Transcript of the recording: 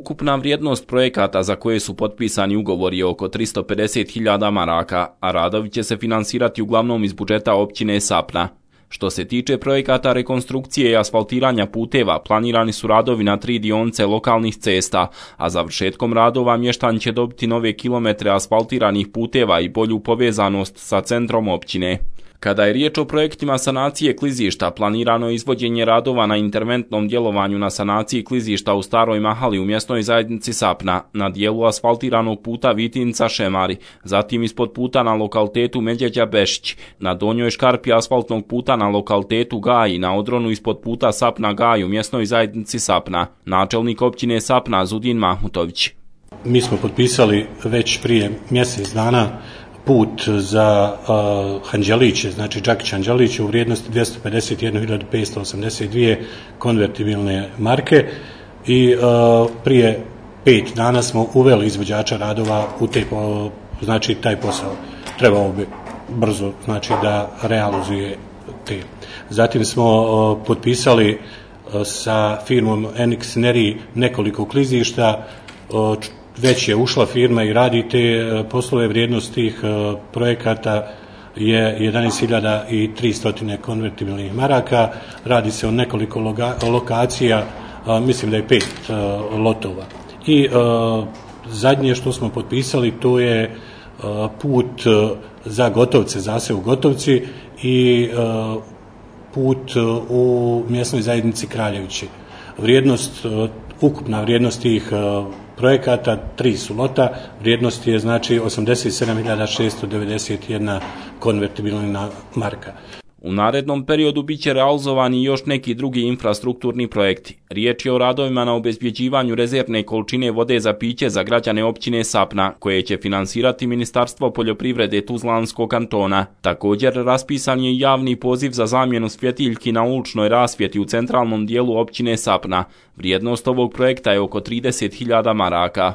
Ukupna vrijednost projekata za koje su potpisani ugovori je oko 350.000 maraka, a radovi će se finansirati uglavnom iz budžeta općine Sapna. Što se tiče projekata rekonstrukcije i asfaltiranja puteva, planirani su radovi na 3 dionice lokalnih cesta, a završetkom radova mještani će dobiti nove kilometre asfaltiranih puteva i bolju povezanost sa centrom općine. Kada je riječ o projektima sanacije klizišta, planirano je izvođenje radova na interventnom djelovanju na sanaciji klizišta u Staroj Mahali u mjesnoj zajednici Sapna, na dijelu asfaltiranog puta Vitinca-Šemari, zatim ispod puta na lokalitetu Medjeđa-Bešić, na donjoj škarpi asfaltnog puta na lokalitetu Gaji, na odronu ispod puta Sapna-Gaj u mjesnoj zajednici Sapna. Načelnik općine Sapna Zudin Mahmutović. Mi smo potpisali već prije mjesec dana put za Hanđeliće, znači Đakić-Hanđeliće u vrijednosti 251.582 konvertibilne marke i prije 5 dana smo uveli izvođača radova u znači taj posao. Trebalo bi brzo znači da realizuje te. Zatim smo potpisali sa firmom Enix Neri nekoliko klizišta. Već je ušla firma i radi te poslove. Vrijednost tih projekata je 11.300 konvertibilnih maraka. Radi se o nekoliko lokacija, mislim da je 5 lotova. I zadnje što smo potpisali to je put za Gotovce, zaseo u Gotovci i put u mjesnoj zajednici Kraljevići. Ukupna vrijednost tih projekata, 3 su lota, vrijednost je znači 87.691 konvertibilna marka. U narednom periodu bit će realizovani još neki drugi infrastrukturni projekti. Riječ je o radovima na obezbjeđivanju rezervne količine vode za piće za građane općine Sapna, koje će finansirati Ministarstvo poljoprivrede Tuzlanskog kantona. Također raspisan je javni poziv za zamjenu svjetiljki na uličnoj rasvjeti u centralnom dijelu općine Sapna. Vrijednost ovog projekta je oko 30.000 maraka.